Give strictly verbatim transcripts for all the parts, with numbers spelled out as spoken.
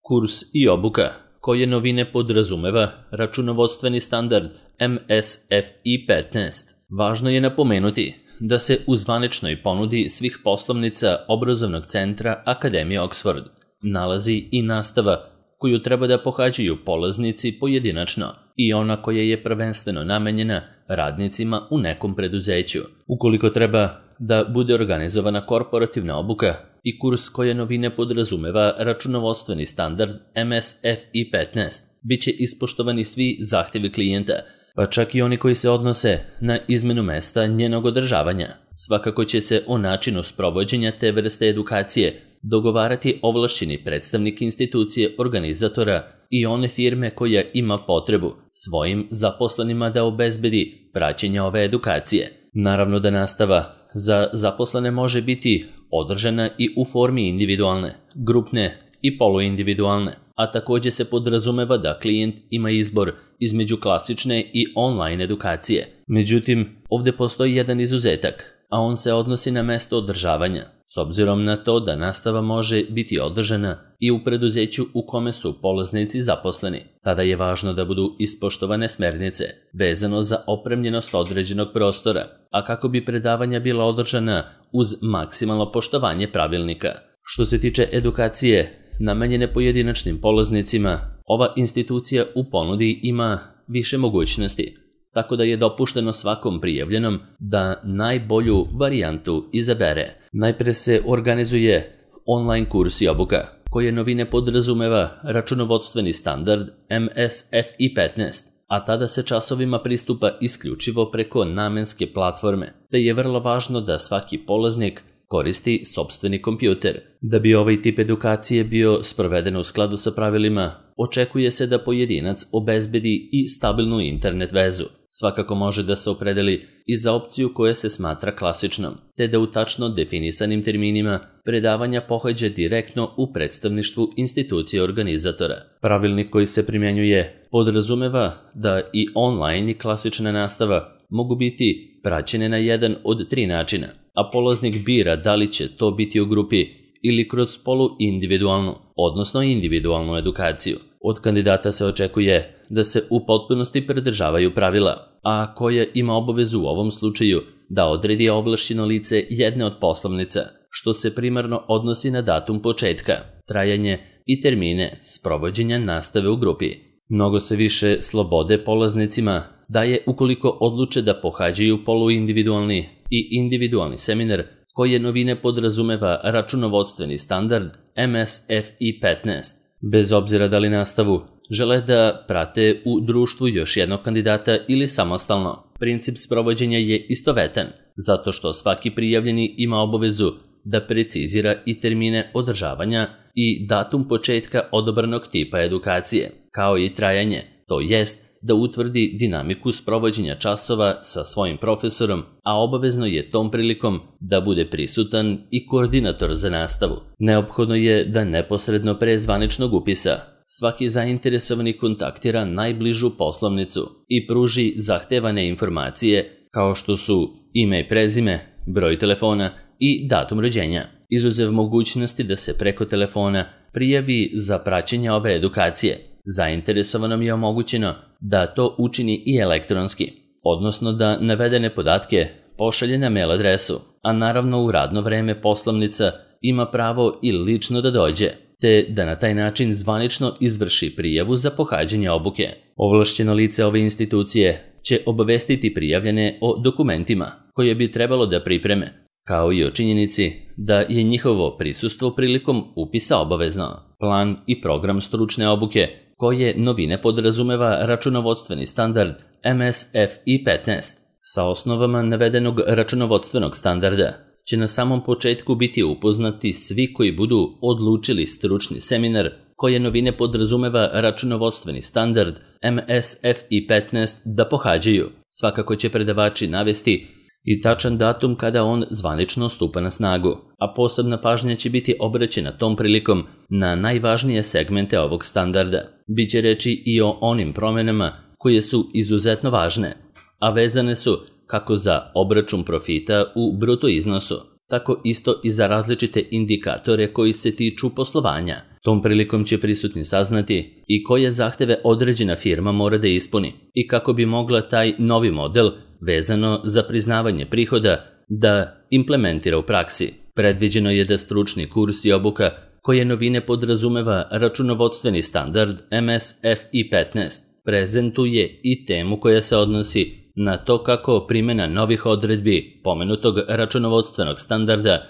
Kurs i obuka, koje novine podrazumeva računovodstveni standard M S F I petnaest. Važno je napomenuti da se u zvaničnoj ponudi svih poslovnica obrazovnog centra Akademije Oxford nalazi i nastava koju treba da pohađaju polaznici pojedinačno i ona koja je prvenstveno namenjena radnicima u nekom preduzeću. Ukoliko treba da bude organizovana korporativna obuka i kurs koje novine podrazumeva računovodstveni standard M S F I petnaest, bit će ispoštovani svi zahtjevi klijenta, pa čak i oni koji se odnose na izmenu mesta njenog održavanja. Svakako će se o načinu sprovođenja te vrste edukacije dogovarati ovlašćeni predstavnik institucije organizatora i one firme koja ima potrebu svojim zaposlenima da obezbedi praćenje ove edukacije. Naravno da nastava za zaposlene može biti održana i u formi individualne, grupne i poluindividualne, a također se podrazumeva da klijent ima izbor između klasične i online edukacije. Međutim, ovdje postoji jedan izuzetak, a on se odnosi na mesto održavanja, s obzirom na to da nastava može biti održana i u preduzeću u kome su polaznici zaposleni. Tada je važno da budu ispoštovane smernice vezano za opremljenost određenog prostora, a kako bi predavanja bila održana uz maksimalno poštovanje pravilnika. Što se tiče edukacije namenjene pojedinačnim polaznicima, ova institucija u ponudi ima više mogućnosti, tako da je dopušteno svakom prijavljenom da najbolju varijantu izabere. Najpre se organizuje online kurs i obuka, koje novine podrazumeva računovodstveni standard M S F I petnaest, a tada se časovima pristupa isključivo preko namenske platforme, te je vrlo važno da svaki polaznik koristi sopstveni kompjuter. Da bi ovaj tip edukacije bio sproveden u skladu sa pravilima, očekuje se da pojedinac obezbedi i stabilnu internet vezu. Svakako može da se opredeli i za opciju koja se smatra klasičnom, te da u tačno definisanim terminima predavanja pohađa direktno u predstavništvu institucije organizatora. Pravilnik koji se primjenjuje podrazumeva da i online i klasična nastava mogu biti praćene na jedan od tri načina, a polaznik bira da li će to biti u grupi ili kroz poluindividualnu, odnosno individualnu edukaciju. Od kandidata se očekuje da se u potpunosti pridržavaju pravila, a koja ima obavezu u ovom slučaju da odredi ovlašćeno lice jedne od poslovnica, što se primarno odnosi na datum početka, trajanje i termine sprovođenja nastave u grupi. Mnogo se više slobode polaznicima daje ukoliko odluče da pohađaju poluindividualni i individualni seminar koje novine podrazumeva računovodstveni standard M S F I petnaest. Bez obzira da li nastavu žele da prate u društvu još jednog kandidata ili samostalno, princip sprovođenja je istovetan, zato što svaki prijavljeni ima obavezu da precizira i termine održavanja i datum početka odabranog tipa edukacije, kao i trajanje, to jest da utvrdi dinamiku sprovođenja časova sa svojim profesorom, a obavezno je tom prilikom da bude prisutan i koordinator za nastavu. Neophodno je da neposredno pre zvaničnog upisa svaki zainteresovani kontaktira najbližu poslovnicu i pruži zahtevane informacije kao što su ime i prezime, broj telefona i datum rođenja. Izuzev mogućnosti da se preko telefona prijavi za praćenje ove edukacije, zainteresovanom je omogućeno da to učini i elektronski, odnosno da navedene podatke pošalje na mail adresu, a naravno u radno vreme poslovnica ima pravo i lično da dođe, te da na taj način zvanično izvrši prijavu za pohađanje obuke. Ovlašćeno lice ove institucije će obavestiti prijavljene o dokumentima koje bi trebalo da pripreme, kao i o činjenici da je njihovo prisustvo prilikom upisa obavezno. Plan i program stručne obuke koje novine podrazumeva računovodstveni standard M S F I petnaest sa osnovama navedenog računovodstvenog standarda će na samom početku biti upoznati svi koji budu odlučili stručni seminar koje novine podrazumeva računovodstveni standard M S F I petnaest da pohađaju. Svakako će predavači navesti i tačan datum kada on zvanično stupa na snagu, a posebna pažnja će biti obraćena tom prilikom na najvažnije segmente ovog standarda. Biće reči i o onim promjenama koje su izuzetno važne, a vezane su kako za obračun profita u bruto iznosu, tako isto i za različite indikatore koji se tiču poslovanja, Tom prilikom će prisutni saznati i koje zahteve određena firma mora da ispuni i kako bi mogla taj novi model vezano za priznavanje prihoda da implementira u praksi. Predviđeno je da stručni kurs i obuka koje novine podrazumeva računovodstveni standard M S F I petnaest prezentuje i temu koja se odnosi na to kako primjena novih odredbi pomenutog računovodstvenog standarda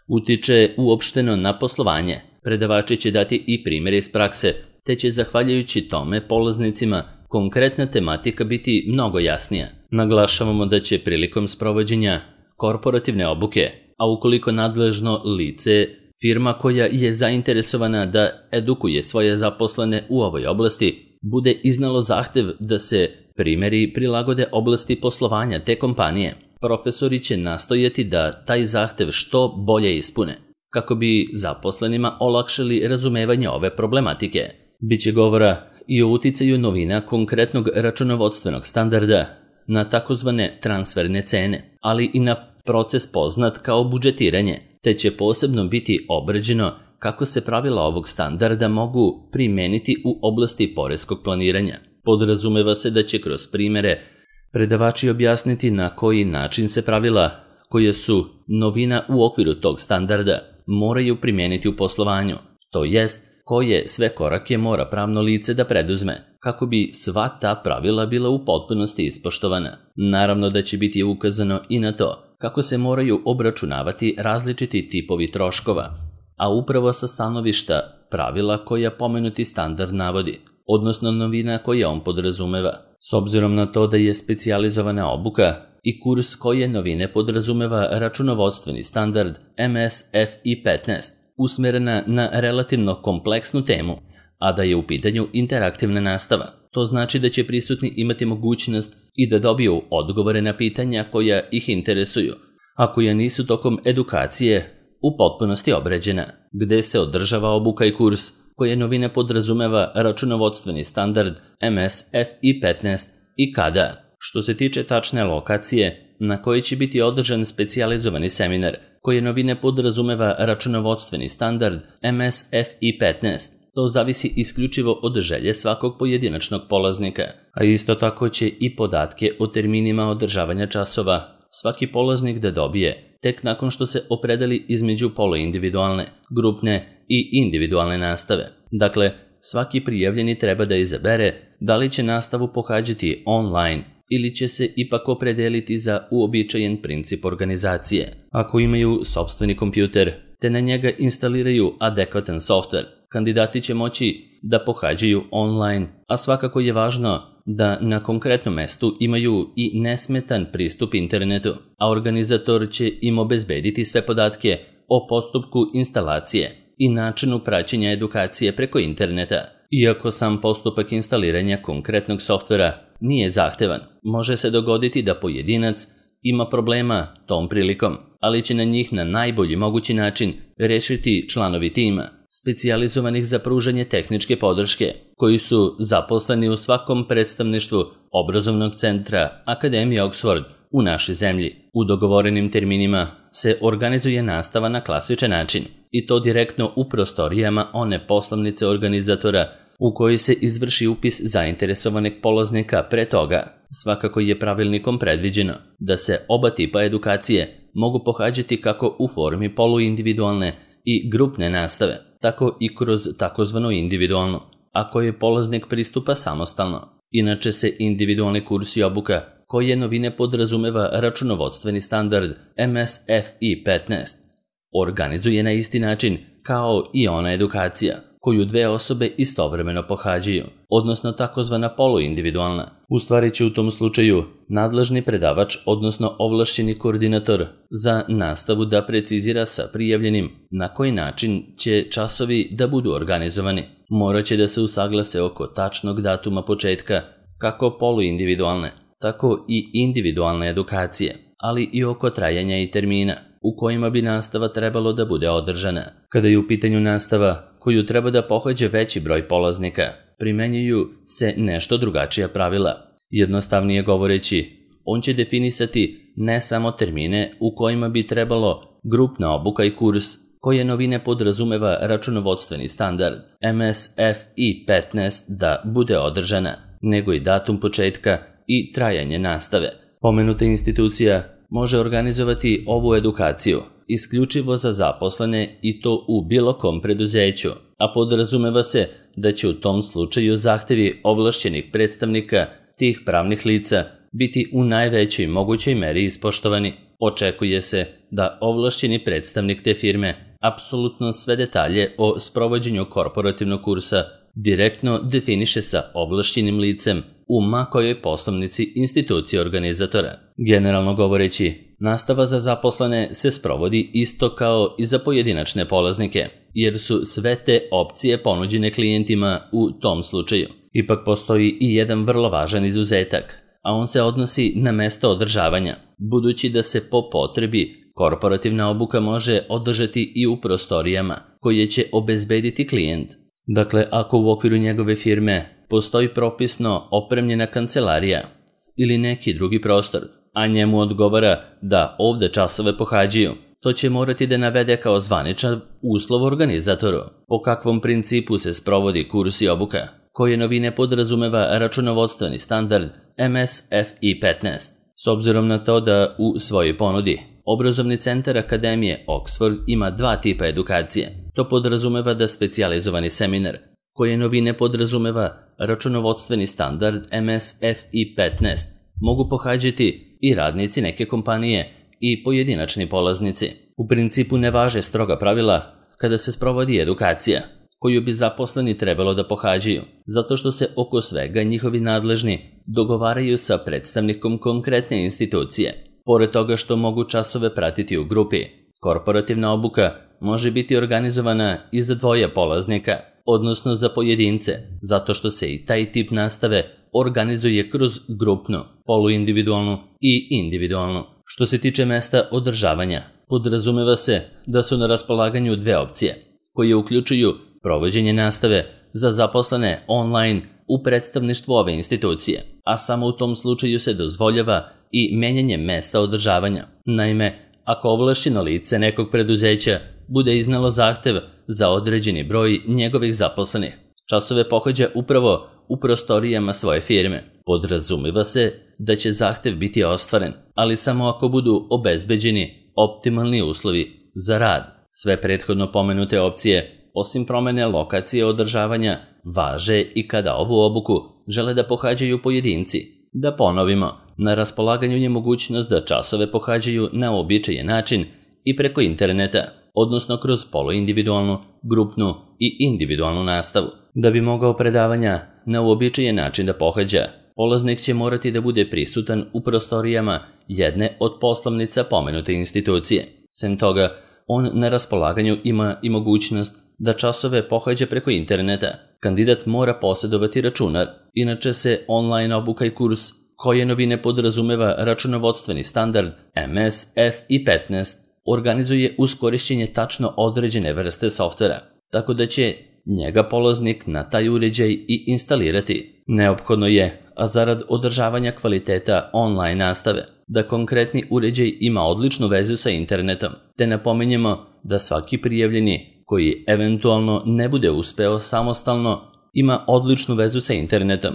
utiče uopšteno na poslovanje. Predavači će dati i primjere iz prakse, te će zahvaljujući tome polaznicima konkretna tematika biti mnogo jasnija. Naglašavamo da će prilikom sprovođenja korporativne obuke, a ukoliko nadležno lice, firma koja je zainteresovana da edukuje svoje zaposlene u ovoj oblasti, bude iznalo zahtev da se primjeri prilagode oblasti poslovanja te kompanije, profesori će nastojati da taj zahtev što bolje ispune, kako bi zaposlenima olakšali razumevanje ove problematike. Biće govora i o uticaju novina konkretnog računovodstvenog standarda na takozvane transferne cene, ali i na proces poznat kao budžetiranje, te će posebno biti obrađeno kako se pravila ovog standarda mogu primeniti u oblasti poreskog planiranja. Podrazumeva se da će kroz primjere predavači objasniti na koji način se pravila, koje su novina u okviru tog standarda, moraju primijeniti u poslovanju, to jest koje sve korake mora pravno lice da preduzme, kako bi sva ta pravila bila u potpunosti ispoštovana. Naravno da će biti ukazano i na to kako se moraju obračunavati različiti tipovi troškova, a upravo sa stanovišta pravila koja pomenuti standard navodi, odnosno novina koje on podrazumeva. S obzirom na to da je specijalizovana obuka i kurs koje novine podrazumeva računovodstveni standard M S F I petnaest, usmerena na relativno kompleksnu temu, a da je u pitanju interaktivna nastava. To znači da će prisutni imati mogućnost i da dobiju odgovore na pitanja koja ih interesuju, a koja nisu tokom edukacije u potpunosti obrađena, gde se održava obuka i kurs koje novine podrazumeva računovodstveni standard M S F I petnaest i kada. Što se tiče tačne lokacije na kojoj će biti održan specijalizovani seminar koje novine podrazumeva računovodstveni standard M S F I petnaest, to zavisi isključivo od želje svakog pojedinačnog polaznika, a isto tako će i podatke o terminima održavanja časova svaki polaznik da dobije tek nakon što se opredeli između poluindividualne, grupne i individualne nastave. Dakle, svaki prijavljeni treba da izabere da li će nastavu pohađati online ili će se ipak opredeliti za uobičajen princip organizacije. Ako imaju sopstveni kompjuter te na njega instaliraju adekvatan softver, kandidati će moći da pohađaju online, a svakako je važno da na konkretnom mestu imaju i nesmetan pristup internetu, a organizator će im obezbediti sve podatke o postupku instalacije i načinu praćenja edukacije preko interneta. Iako sam postupak instaliranja konkretnog softvera nije zahtevan, može se dogoditi da pojedinac ima problema tom prilikom, ali će na njih na najbolji mogući način rešiti članovi tima, specijalizovanih za pružanje tehničke podrške, koji su zaposleni u svakom predstavništvu obrazovnog centra Akademije Oxford u našoj zemlji. U dogovorenim terminima se organizuje nastava na klasičan način, i to direktno u prostorijama one poslovnice organizatora u kojoj se izvrši upis zainteresovanog polaznika pre toga. Svakako je pravilnikom predviđeno da se oba tipa edukacije mogu pohađati kako u formi poluindividualne i grupne nastave, tako i kroz takozvanu individualnu, ako je polaznik pristupa samostalno. Inače se individualni kurs i obuka koje novine podrazumeva računovodstveni standard M S F I petnaest organizuje na isti način kao i ona edukacija koju dve osobe istovremeno pohađaju, odnosno takozvana poluindividualna. U stvari će u tom slučaju nadležni predavač, odnosno ovlašćeni koordinator za nastavu da precizira sa prijavljenim na koji način će časovi da budu organizovani. Morat će da se usaglase oko tačnog datuma početka kako poluindividualne, tako i individualne edukacije, ali i oko trajanja i termina u kojima bi nastava trebalo da bude održana. Kada je u pitanju nastava koju treba da pohađa veći broj polaznika, primenjuju se nešto drugačija pravila. Jednostavnije govoreći, on će definisati ne samo termine u kojima bi trebalo grupna obuka i kurs koje novine podrazumeva računovodstveni standard M S F I petnaest da bude održana, nego i datum početka i trajanje nastave. Pomenuta institucija može organizovati ovu edukaciju isključivo za zaposlene i to u bilo kom preduzeću, a podrazumeva se da će u tom slučaju zahtevi ovlašćenih predstavnika tih pravnih lica biti u najvećoj mogućoj meri ispoštovani. Očekuje se da ovlašćeni predstavnik te firme apsolutno sve detalje o sprovođenju korporativnog kursa direktno definiše sa ovlašćenim licem u ma kojoj poslovnici institucije organizatora. Generalno govoreći, nastava za zaposlene se sprovodi isto kao i za pojedinačne polaznike, jer su sve te opcije ponuđene klijentima u tom slučaju. Ipak postoji i jedan vrlo važan izuzetak, a on se odnosi na mesto održavanja, budući da se po potrebi korporativna obuka može održati i u prostorijama koje će obezbediti klijent. Dakle, ako u okviru njegove firme postoji propisno opremljena kancelarija ili neki drugi prostor, a njemu odgovara da ovde časove pohađaju, to će morati da navede kao zvaničan uslov organizatoru. Po kakvom principu se sprovodi kurs i obuka, koje novine podrazumeva računovodstveni standard M S F I petnaest. S obzirom na to da u svojoj ponudi Obrazovni centar Akademije Oxford ima dva tipa edukacije. To podrazumeva da specijalizovani seminar, koje novine podrazumeva računovodstveni standard M S F I petnaest, mogu pohađati i radnici neke kompanije i pojedinačni polaznici. U principu ne važe stroga pravila kada se sprovodi edukacija, koju bi zaposleni trebalo da pohađaju, zato što se oko svega njihovi nadležni dogovaraju sa predstavnikom konkretne institucije. Pored toga što mogu časove pratiti u grupi, korporativna obuka može biti organizovana i za dvoje polaznika, odnosno za pojedince, zato što se i taj tip nastave organizuje kroz grupnu, poluindividualnu i individualnu. Što se tiče mesta održavanja, podrazumeva se da su na raspolaganju dve opcije, koje uključuju provođenje nastave za zaposlene online u predstavništvu ove institucije, a samo u tom slučaju se dozvoljava i menjanje mesta održavanja. Naime, ako ovlašćeno lice nekog preduzeća bude iznalo zahtev za određeni broj njegovih zaposlenih, časove pohađa upravo u prostorijama svoje firme. Podrazumeva se da će zahtev biti ostvaren, ali samo ako budu obezbeđeni optimalni uslovi za rad. Sve prethodno pomenute opcije, osim promene lokacije održavanja, važe i kada ovu obuku žele da pohađaju pojedinci. Da ponovimo, na raspolaganju je mogućnost da časove pohađaju na uobičajen način i preko interneta, odnosno kroz poluindividualnu, grupnu i individualnu nastavu. Da bi mogao predavanja na uobičajen način da pohađa, polaznik će morati da bude prisutan u prostorijama jedne od poslovnica pomenute institucije. Sem toga, on na raspolaganju ima i mogućnost da časove pohađa preko interneta. Kandidat mora posjedovati računar, inače se online obuka i kurs koje novine podrazumeva računovodstveni standard M S F I petnaest organizuje uz korišćenje tačno određene vrste softvera, tako da će njega polaznik na taj uređaj i instalirati. Neophodno je, a zarad održavanja kvaliteta online nastave, da konkretni uređaj ima odličnu vezu sa internetom, te napominjemo da svaki prijavljeni koji eventualno ne bude uspeo samostalno ima odličnu vezu sa internetom,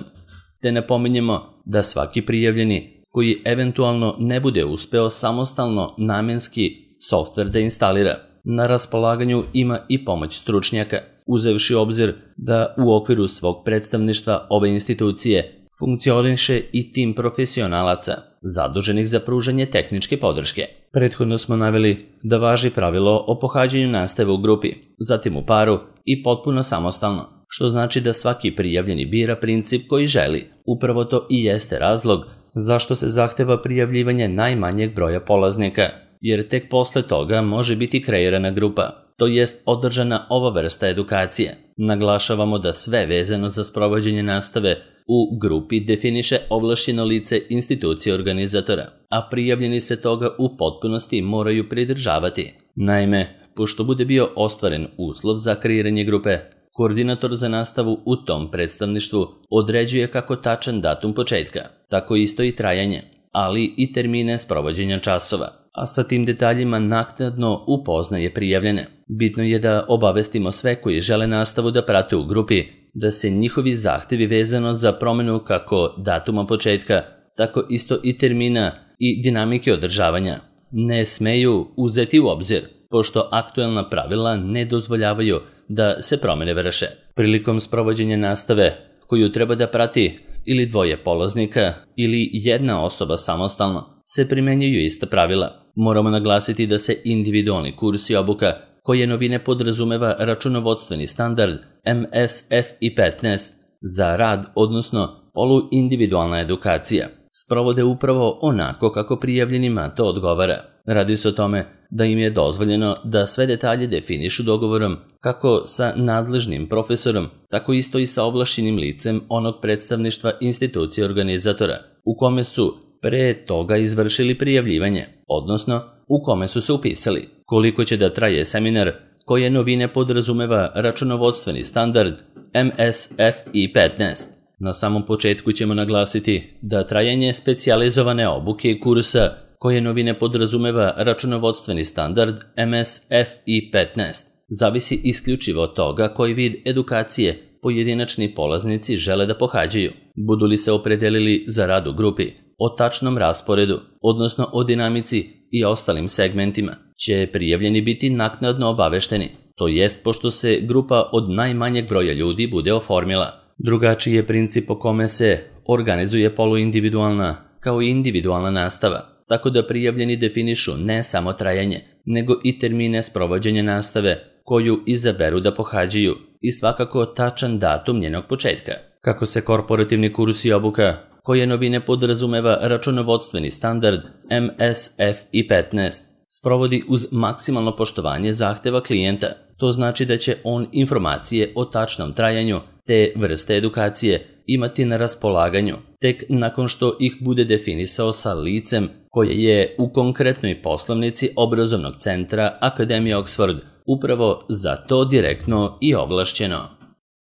te napominjemo da svaki prijavljeni koji eventualno ne bude uspeo samostalno namenski softver da instalira. Na raspolaganju ima i pomoć stručnjaka, uzevši obzir da u okviru svog predstavništva ove institucije funkcioniše i tim profesionalaca zaduženih za pružanje tehničke podrške. Prethodno smo naveli da važi pravilo o pohađanju nastave u grupi, zatim u paru i potpuno samostalno, što znači da svaki prijavljeni bira princip koji želi. Upravo to i jeste razlog zašto se zahteva prijavljivanje najmanjeg broja polaznika, jer tek posle toga može biti kreirana grupa, to jest održana ova vrsta edukacije. Naglašavamo da sve vezano za sprovođenje nastave u grupi definiše ovlašćeno lice institucije organizatora, a prijavljeni se toga u potpunosti moraju pridržavati. Naime, pošto bude bio ostvaren uslov za kreiranje grupe, koordinator za nastavu u tom predstavništvu određuje kako tačan datum početka, tako isto i trajanje, ali i termine sprovođenja časova. a sa tim detaljima naknadno upoznaje prijavljene. Bitno je da obavestimo sve koji žele nastavu da prate u grupi, da se njihovi zahtevi vezano za promenu kako datuma početka, tako isto i termina i dinamike održavanja ne smeju uzeti u obzir, pošto aktuelna pravila ne dozvoljavaju da se promene vrše. Prilikom sprovođenja nastave, koju treba da prati ili dvoje polaznika ili jedna osoba samostalno, se primenjuju ista pravila. Moramo naglasiti da se individualni kurs i obuka, koje novine podrazumeva računovodstveni standard M S F I petnaest za rad, odnosno poluindividualna edukacija, sprovode upravo onako kako prijavljenima to odgovara. Radi se o tome da im je dozvoljeno da sve detalje definišu dogovorom kako sa nadležnim profesorom, tako isto i sa ovlašćenim licem onog predstavništva institucije organizatora, u kome su pre toga izvršili prijavljivanje, odnosno u kome su se upisali. Koliko će da traje seminar koje novine podrazumeva računovodstveni standard M S F I petnaest. Na samom početku ćemo naglasiti da trajanje specijalizovane obuke i kursa koje novine podrazumeva računovodstveni standard M S F I petnaest zavisi isključivo od toga koji vid edukacije pojedinačni polaznici žele da pohađaju. Budu li se opredelili za rad u grupi, o tačnom rasporedu, odnosno o dinamici i ostalim segmentima, će prijavljeni biti naknadno obavešteni, to jest pošto se grupa od najmanjeg broja ljudi bude oformila. Drugačiji je princip po kome se organizuje poluindividualna kao i individualna nastava, tako da prijavljeni definišu ne samo trajanje, nego i termine sprovođenja nastave koju izaberu da pohađaju i svakako tačan datum njenog početka. Kako se korporativni kurs i obuka, koje novine podrazumeva računovodstveni standard M S F I petnaest, sprovodi uz maksimalno poštovanje zahteva klijenta, to znači da će on informacije o tačnom trajanju te vrste edukacije imati na raspolaganju tek nakon što ih bude definisao sa licem koje je u konkretnoj poslovnici obrazovnog centra Akademije Oxford upravo za to direktno i ovlašćeno.